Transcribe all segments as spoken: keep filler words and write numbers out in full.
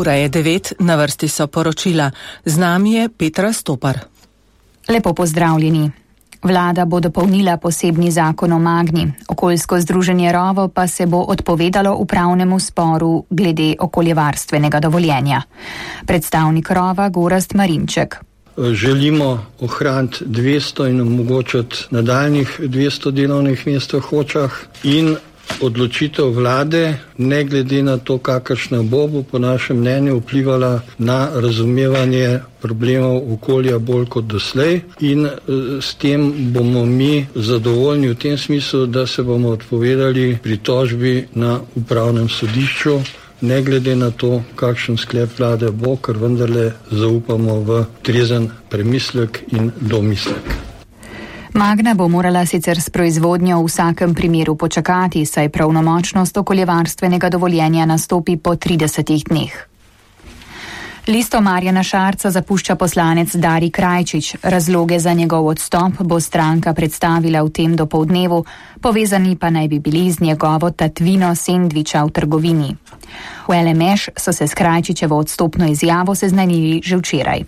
Ura je devet, na vrsti so poročila. Z nami je Petra Stopar. Lepo pozdravljeni. Vlada bo dopolnila posebni zakon o Magni. Okoljsko združenje Rovo pa se bo odpovedalo upravnemu sporu glede okoljevarstvenega dovoljenja. Predstavnik Rova Gorazd Marinček. Želimo ohraniti dvesto in omogočiti nadaljnih dvesto delovnih mest v Hočah in odločitev vlade, ne glede na to, kakršna bo, bo po našem mnenju vplivala na razumevanje problemov okolja bolj kot doslej in s tem bomo mi zadovoljni v tem smislu, da se bomo odpovedali pritožbi na upravnem sodišču, ne glede na to, kakšen sklep vlade bo, ker vendarle zaupamo v trezen premislek in domislek. Magna bo morala sicer s proizvodnjo v vsakem primeru počakati, saj pravnomočnost okoljevarstvenega dovoljenja nastopi po tridesetih dneh. Listo Marjana Šarca zapušča poslanec Dari Krajčič. Razloge za njegov odstop bo stranka predstavila v tem dopoldnevu, povezani pa naj bi bili z njegovo tatvino sendviča v trgovini. V L M Š so se s Krajčičevo odstopno izjavo seznanili že včeraj.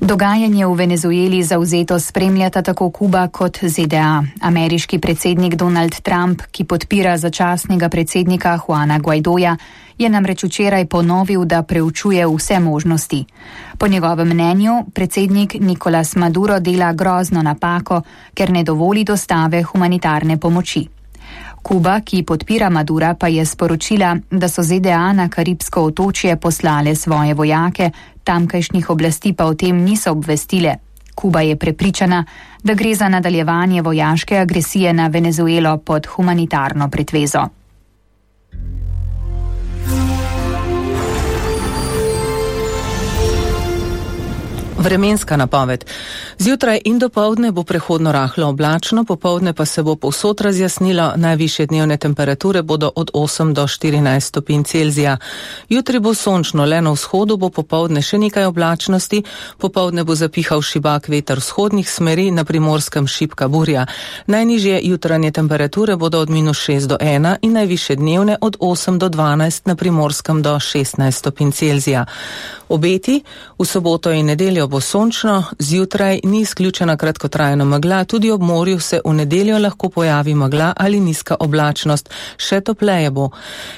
Dogajanje v Venezueli zavzeto spremljata tako Kuba kot Z D A. Ameriški predsednik Donald Trump, ki podpira začasnega predsednika Juana Guaidoja, je namreč včeraj ponovil, da preučuje vse možnosti. Po njegovem mnenju predsednik Nicolás Maduro dela grozno napako, ker ne dovoli dostave humanitarne pomoči. Kuba, ki podpira Madura, pa je sporočila, da so Z D A na Karibsko otočje poslale svoje vojake, tamkajšnjih oblasti pa o tem niso obvestile. Kuba je prepričana, da gre za nadaljevanje vojaške agresije na Venezuelo pod humanitarno pretvezo. Vremenska napoved. Zjutraj in dopoldne bo prehodno rahlo oblačno, popoldne pa se bo povsod razjasnilo, najvišje dnevne temperature bodo od osem do štirinajst stopinj Celzija. Jutri bo sončno, le na vzhodu bo popoldne še nekaj oblačnosti, popoldne bo zapihal šibak veter vzhodnih smeri, na Primorskem šibka burja. Najnižje jutranje temperature bodo od minus šest do ena in najvišje dnevne od osem do dvanajst, na Primorskem do šestnajst stopinj Celzija. Obeti, v soboto in nedeljo bo sončno, zjutraj ni izključena kratkotrajna megla, tudi ob morju se v nedeljo lahko pojavi megla ali nizka oblačnost, še topleje bo.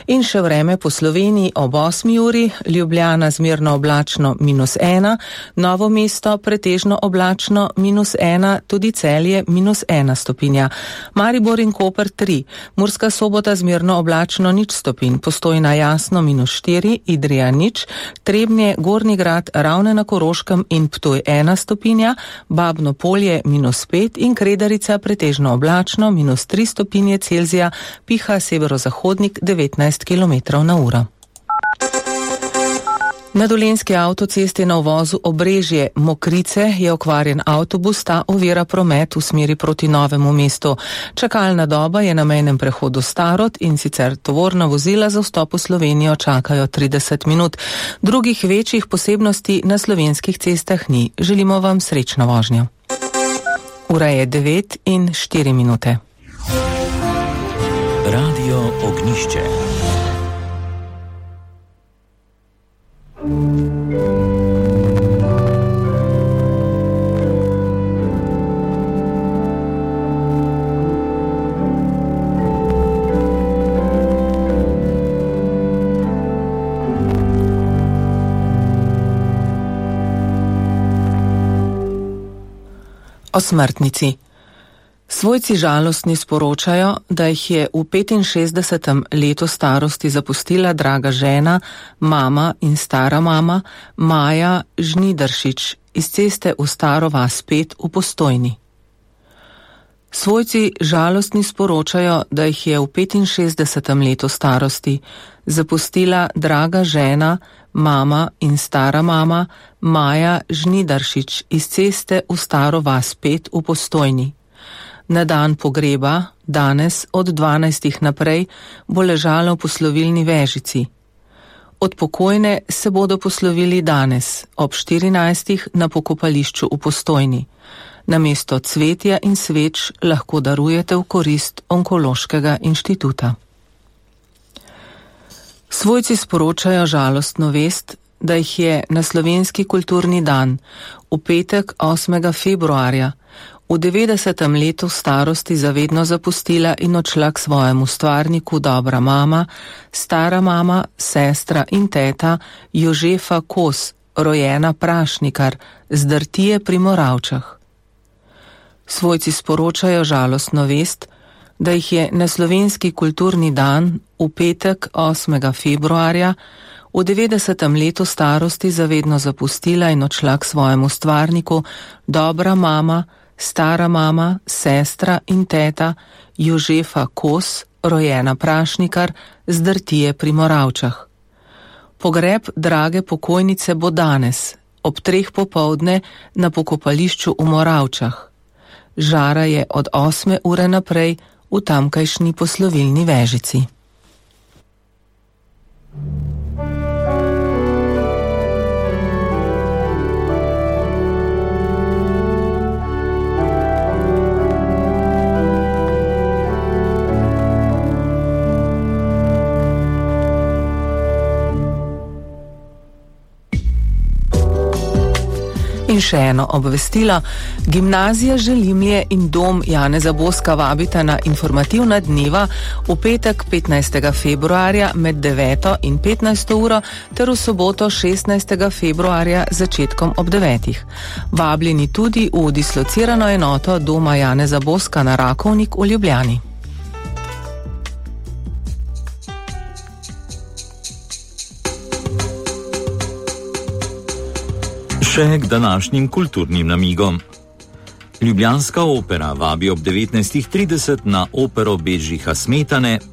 In še vreme po Sloveniji ob osmi uri, Ljubljana zmerno oblačno minus ena, Novo mesto pretežno oblačno minus ena, tudi Celje minus ena stopinja. Maribor in Koper tri, Murska Sobota zmerno oblačno nič stopinj, Postojna jasno minus štiri, Idrija nič, Trebnje, Gornji Grad, Ravne na Koroškem in Ptuj ena stopinja, Babno Polje minus pet in Kredarica pretežno oblačno minus tri stopinje Celzija, piha severozahodnik devetnajst kilometrov na uro. Na dolenjski avtocesti na uvozu Obrežje Mokrice je okvarjen avtobus, ta ovira promet v smeri proti Novemu mestu. Čakalna doba je na mejnem prehodu Starod in sicer tovorna vozila za vstop v Slovenijo čakajo trideset minut. Drugih večjih posebnosti na slovenskih cestah ni. Želimo vam srečno vožnjo. Ura je devet in štiri minute. Radio Ognišče. O smrtnici. Svojci žalostni sporočajo, da jih je v petinšestdesetem letu starosti zapustila draga žena, mama in stara mama Maja Žnidaršič iz ceste v Staro vas pet v Postojni. Svojci žalostni sporočajo, da jih je v petinšestdesetem letu starosti zapustila draga žena, mama in stara mama Maja Žnidaršič iz ceste v Staro vas pet v Postojni. Na dan pogreba, danes od dvanajstih naprej, bo ležala v poslovilni vežici. Od pokojne se bodo poslovili danes, ob štirinajstih na pokopališču v Postojni. Namesto cvetja in sveč lahko darujete v korist Onkološkega inštituta. Svojci sporočajo žalostno vest, da jih je na slovenski kulturni dan v petek osmega februarja v devetdesetem letu starosti zavedno zapustila in odšla k svojemu stvarniku dobra mama, stara mama, sestra in teta Jožefa Kos, rojena Prašnikar, z Drtije pri Moravčah. Svojci sporočajo žalostno vest, da jih je na slovenski kulturni dan v petek osmega februarja v devetdesetem letu starosti zavedno zapustila in odšla k svojemu stvarniku dobra mama, stara mama, sestra in teta Jožefa Kos, rojena Prašnikar, z Drtije pri Moravčah. Pogreb drage pokojnice bo danes, ob treh popoldne na pokopališču v Moravčah. Žara je od osme ure naprej v tamkajšnji poslovilni vežici. In še eno obvestilo. Gimnazija Želimlje in dom Janeza Boska vabita na informativna dneva v petek petnajstega februarja med deveto in petnajsto uro ter v soboto šestnajstega februarja začetkom ob devetih. Vabljeni tudi v dislocirano enoto doma Janeza Boska na Rakovnik v Ljubljani. Še k današnjim kulturnim namigom. Ljubljanska opera vabi ob devetnajstih trideset na opero Bedžiha Smetane